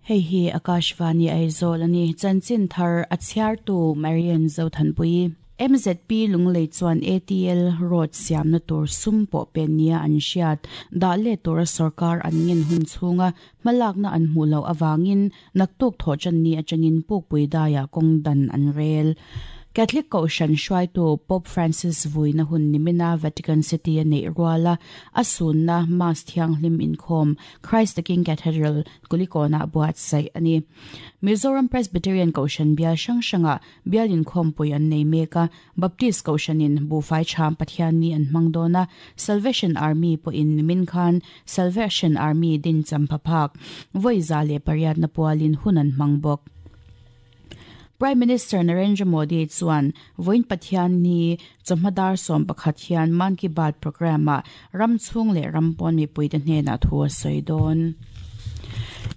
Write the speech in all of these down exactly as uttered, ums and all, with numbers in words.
Hei hi Akashvani Aizawl ani chanchin thar a chhiartu Marian Zothanpui M Z P Lunglei chuan A T L road siamna tur sum pawh pen nia an hriat dah leh tura sarkar an ngen hun chhunga hmalakna an hmuh loh awangin naktuk thawh chan ni atangin pukpui daiah kawng dan an rel. Catholic Kohhran hruaitu Pope Francis vuina hun nimina Vatican City a neih ruala a sunna Mass thianghlim inkhawm Christ the King Cathedral Kulikona buatsaih ani. Mizoram Presbyterian Kohhran bial hrang hranga bial inkhawm pui an nei meka Baptist Kohhranin Bufai Cham Pathian ni an hmang dawna Salvation Army pawhin nimin khan Salvation Army din champhaphak vawi za leh pariat na pualin hun an hmang bawk. Prime Minister Narendra Modi chuan voin Pathian ni chawhmadar sawm pakhat hian Mann Ki Baat program a ram chhung leh ram pawn mipuite hnenah thu a sawi dawn.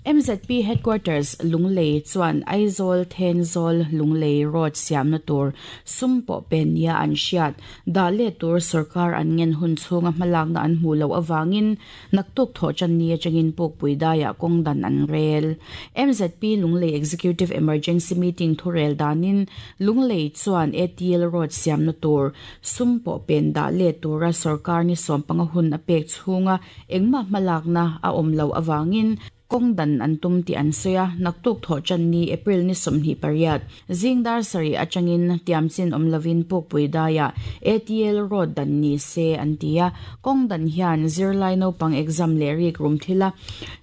M Z P Headquarters Lunglei chuan Aizawl Thenzawl Lunglei Road siamna tur sum pawh pen nia an hriat dah leh tur sarkar an ngen hun chhunga hmalakna an hmuh loh awangin naktuk thawh chan ni atangin pukpui daiah kawng dan an rel. M Z P Lunglei Executive Emergency Meeting thurel danin Lunglei chuan A T L Road siamna tur sum pawh pen dah leh tura sarkar ni sawm panga hun a pek chhunga engmah hmalakna a awm loh awangin kawng dan an tum ti an sawi a naktuk thawh chan ni April ni sawmhnih pariat zingdar sarih atangin tiamchin awm lovin pukpui daiah A T L Road dan ni se an ti a kawng dan hian zirlai naupang exam leh rik rum thila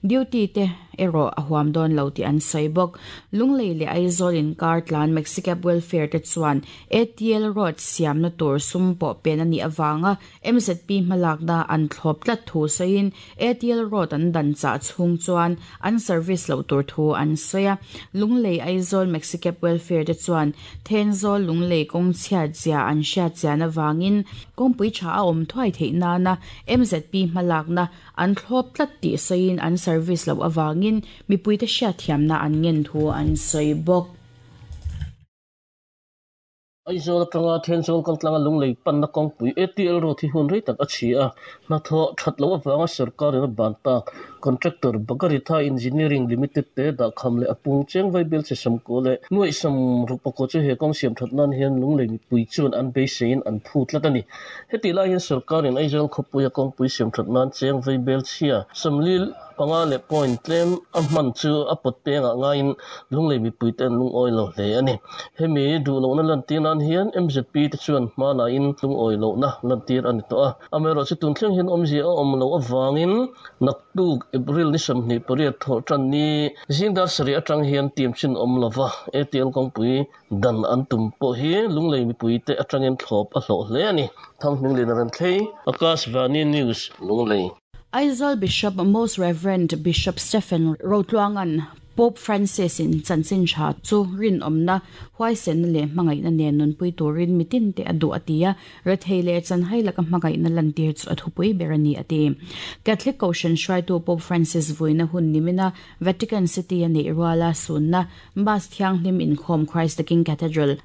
duty te erawh a huam dawn lo ti an sawi bawk. Lunglei leh Aizawl inkar tlan Maxicab Welfare te chuan A T L Road siamna tur sum pawh pen ani awanga M Z P hmalakna an thlawp tlat thu sawiin A T L Road an dan chah chhung chuan an service lo tur thu an sawi a. Lunglei Aizawl Maxicab Welfare te chuan Thenzawl Lunglei kawng chhiat zia an hriat chian awangin kawngpui tha a awm thuai theih nana M Z P hmalakna an thlawp tlat tih sawiin an service lo awangin mipuite hriat thiamna an ngen thu an sawi bawk. Aizawl atanga Thenzawl kaltlanga Lunglei panna kawngpui A T L Road hi hun rei tak a chhi a hnathawh that loh awanga sarkarin a ban tak contractor Bagaritha Engineering Limited te dah kham leh a pung cheng vai bel che samko leh nuaih sam ruk pakua chu he kawng siam that nan hian Lunglei mipui chuan an beiseiin an phu tlat ani. Heti lai hian sarkarin Aizawl khawpui a kawngpui siam that nan cheng vai bel chhia samli panga leh point tlem a hman chu a pawt pengah ngaiin Lunglei mipui te an lungawi lo hle ani. Hemi duh lohna lan tir nan hian M Z P te chuan hma lain lungawi lohna lan tir ani tawh a. Amaherawhchu chu tun thleng hian awmzia a awm loh awangin naktuk April ni sawmhnih pariat thawh tan ni zingdar sarih atang hian tiam chin awm lova A T L kawngpui dan an tum pawh hi Lunglei mipui te atangin thlawp a hlawh hle ani. Thanghming Lin ran thlei Akashvani News Lunglei. Aizawl Bishop Most Reverend Bishop Stephen Rotluangan Pope Francis in chanchin tha chu rin awmna huaisen leh hmangaihna nen nunpui turin mitin te a duh a ti a rethei leh chanhai laka hmangaihna lan tir chu a thupui ber ani a ti. Catholic Kohhran hruaitu Pope Francis vuina hun nimina Vatican City a neih ruala sunna Mass thianghlim inkhawm Christ the King Cathedral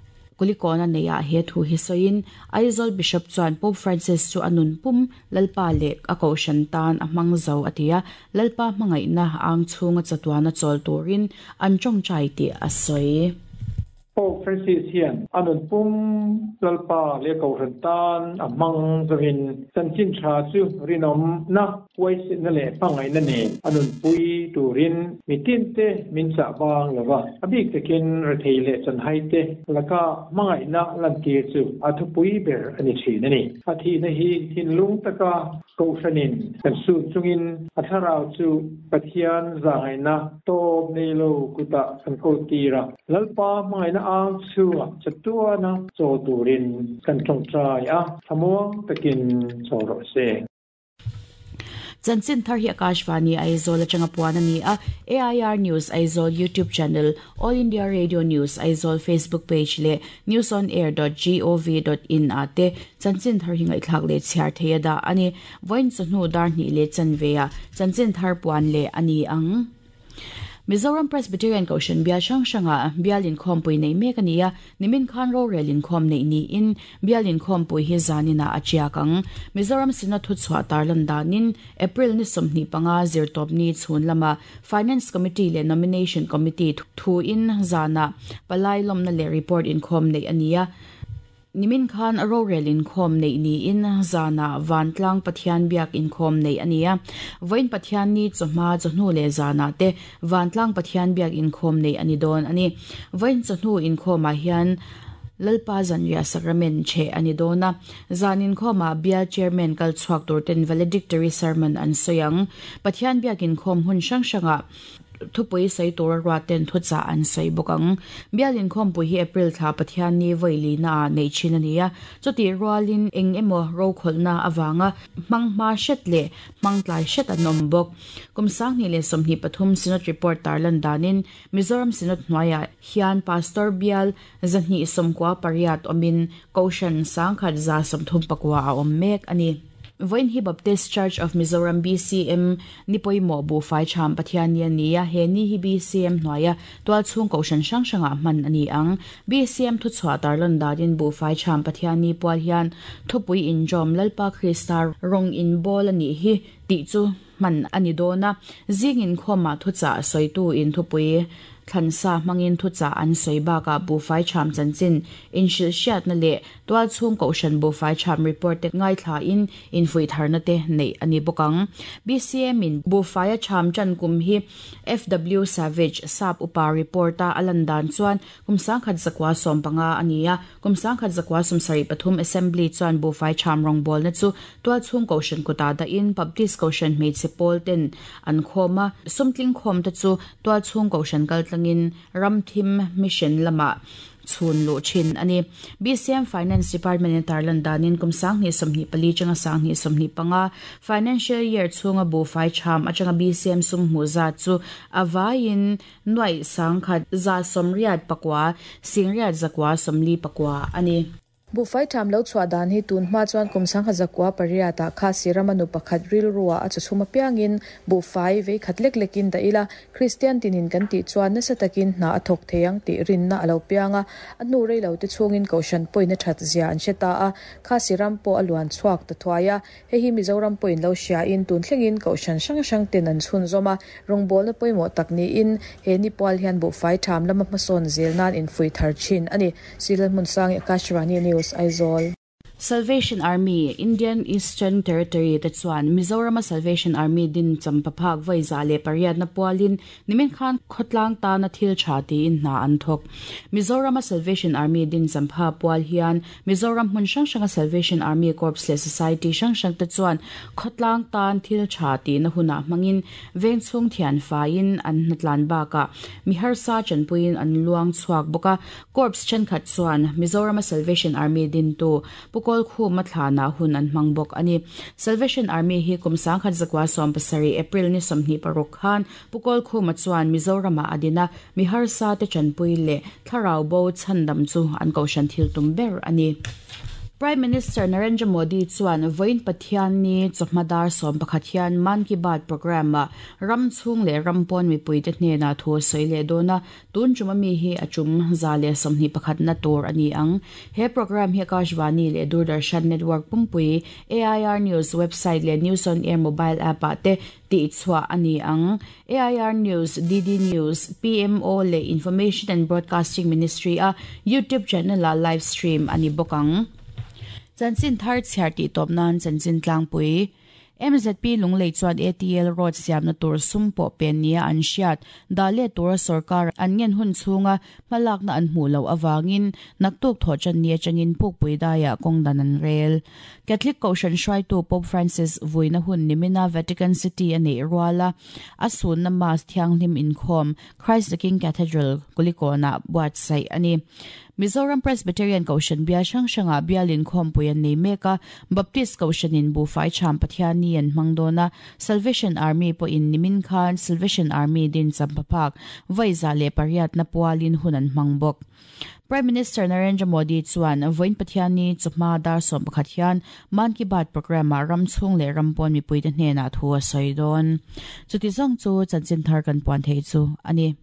Kulikona neia he thu hi sawiin Aizawl Bishop chuan Pope Francis chu anun pum Lalpa leh a kohhran tan a hmang zo a ti a Lalpa hmangaihna ang chhunga chatuana chawl turin an tawngtai tih a sawi. Pope Francis hian anun pum Lalpa leh kohhran tan a hmang zawin chanchin tha chu rinawm na huaisenna leh hmangaihna nen anun pui turin mitin te min chah bang lova a bik takin rethei leh chanhai te laka hmangaihna lan tir chu a thupui ber ani thin ani. A thihna hi thinlung taka kohhranin kan sun chungin a thlarau chu Pathian zahngaihna tawp nei lo kuta kan ko tira Lalpa hmangaihna ang chhunga chatuana chawl turin kan tawngtai a thlamuang takin chawl rawh se. Chanchin thar hi Akashvani Aizawl atanga puan ani a A I R News Aizawl YouTube channel, All India Radio News Aizawl Facebook page leh news on air dot gov dot in ate chanchin thar hi ngaihthlak leh chhiar theia da ani. Voin chu hnu dar hnih leh chanve a chanchin thar puan leh ani ang. Mizoram Presbyterian Kohhran bial hrang hranga bial inkhawmpui nei mek a ni a, nimin khan rorel inkhawm nei niin bial inkhawmpui hi zanina a chiak ang. Mizoram Synod thuchhuah tarlan danin April ni sawmhnih panga zirtawp ni chhun lama Finance Committee leh Nomination Committee thu in zana palai lawmna leh report inkhawm nei a ni a. Nimin khan rorel inkhawm nei niin zana vantlang Pathian biak inkhawm nei a ni a. Vawiin Pathian ni chawhma chawhnu leh zana te vantlang Pathian biak inkhawm nei a ni dawn a ni. Vawiin chawhnu inkhawmah hian Lalpa Zanriah Sacrament che a ni dawn a. Zan inkhawmah bial chairman kal chhuak tur ten valedictory sermon an sawi ang. Pathian biak inkhawm hun hrang hrangah thupui sei tur ruat ten thucha an sei bawk ang. Bial inkhawmpui hi April thla Pathian ni vawi na nei thin a ni a. Chuti rualin eng emaw ro kholna awanga hmang hma hret leh hmang tlai hret an awm bawk. Kum sanghnih leh sawmhnih pathum Synod report tarlan danin Mizoram Synod hnuaiah hian Pastor bial zahnih sawmkua pariat awmin Kohhran sangkhat za sawmthum pakua a awm mek a ni. Vawiin hi Baptist Church of Mizoram B C M ni pawimawh bu fai tham Pathian ni a ni a. He ni hi B C M hnuaia tual chhung kohhran hrang hrangah hman a ni ang. B C M thuchhuah tarlan danin bu fai tham Pathian ni pual hian thupui injawm Lalpa Krista rawng in bawl a nih hi tih chu hman a ni dawn a. Zing inkhawmah thuchah sawitu in thupui thlansa hmangin thuchah an sawi bakah bu fai tham chanchin inhrilh hriatna leh tual chhung kohhran bu fai tham report te ngaithla in infui tharna te nei a ni bawk ang. B C M in bu faia tham chan kum hi F W Savage sap upa report a alan dan chuan kum sangkhat zakwa sawm panga a ni a. Kum sangkhat zakwa sawm sarih pathum assembly chuan bu fai tham rawngbawl na chu tual chhung kohhran kuta da in Baptist kohhran hmeichhe pawl ten an khawm a. Sumtling khawm te chu tual chhung kohhran kal tlangin ramthim mission lama chhun lu thin ani. B C M Finance Department in tarlan danin kum sanghnih sawmhnih pali changa sanghnih sawmhnih panga financial year chhunga bu fai tham atanga B C M sum hmu za chu awaiin nuai sangkhat za sawmriat pakwa singriat zakwa sawmli pakwa ani. Bu fai tham lo chhuah dan hi tun hma chuan kum sangha zakwa pariata kha siramanu pakhat ril ruwa a chhuma piangin bu fai vei khat lek lekin da ila Christian tinin kan ti chuan nasa takin hna a thok theiang ti rinna alo pianga anu rei lo te chungin koshan poina that zia an hre ta a kha siram po aluan chhuak ta thuaya he hi Mizoram poin lo hria in tun thlengin koshan hrang hrang ten an chhun zoma rawngbawlna pawimawh tak ni in he ni pual hian bu fai tham lama hmasawn zel nan in fui thar thin ani. Silal hmun sang Akashvani News Aizawl. Salvation Army Indian Eastern Territory te chuan Mizoram Salvation Army din champaphak vaiza le pariat na pualin nimin khan khotlang ta na thil tha ti in hna an thok. Mizoram Salvation Army din champha pual hian Mizoram hmun hrang hranga Salvation Army Corps le Society hrang hrang te chuan khotlang tan thil tha ti na huna hmangin veng chung thian fain an hnatlan baka mihar sa chanpuin an luang chuak boka. Corps chen khat chuan Mizoram Salvation Army din tu Pukol khu mathlana hun an hmang bawk ani. Salvation Army hi kum sangkhat zakwa sawm pasarih April ni sawmhnih paruk khan Pukol khu ma chuan Mizorama adina mihar sa te chanpui le thlarau bo chandam chu an kohhran thil tum ber ani. Prime Minister Narendra Modi chuan vawiin Pathian ni chawhmadar sawm pakhat hian Mann Ki Baat program a ram chhung leh ram pawn mipui te hnena thu sawi leh dawn a. Tun chuma mi hi a chum za leh sawmhnih pakhat na tur a ni ang. He program hi Akashvani leh Doordarshan Network pumpui A I R News website leh News on Air mobile app ah te tih chhuah a ni ang. A I R News, D D News, P M O leh Information and Broadcasting Ministry a YouTube channel a live stream a ni bawk ang. Chanchin thar chhiar tih tawp nan chanchin tlangpui M Z P Lunglei chuan A T L road siamna tur sum pawh pen nia an hriat dah leh tura sarkar an ngen hun chhunga hmalakna an hmuh loh awangin naktuk thaw chan ni atangin pukpui daiah kawng dan an rel. Catholic Kohhran hruaitu Pope Francis vuina hun nimina Vatican City a neih ruala a sunna mass thianghlim inkhawm Christ the King Cathedral Kulikona buatsaih a ni. Mizoram Presbyterian Kohhran bial hrang hrangah bialin khawmpui an nei mek a, Baptist Kohhranin buhfai cham Pathianni an hmang dawn a, Salvation Army pawhin nimin khan Salvation Army din champaphak vawiza leh pariatna pualin hun an hmang bawk. Prime Minister Narendra Modi chuan vawiin Pathianni chawhma dar sawm pakhat hian Mann Ki Baat programme-ah ram chhung leh ram pawn mipuite hnenah thu a sawi dawn. Chuti zawng chu chanchin thar kan puan thei chu a ni.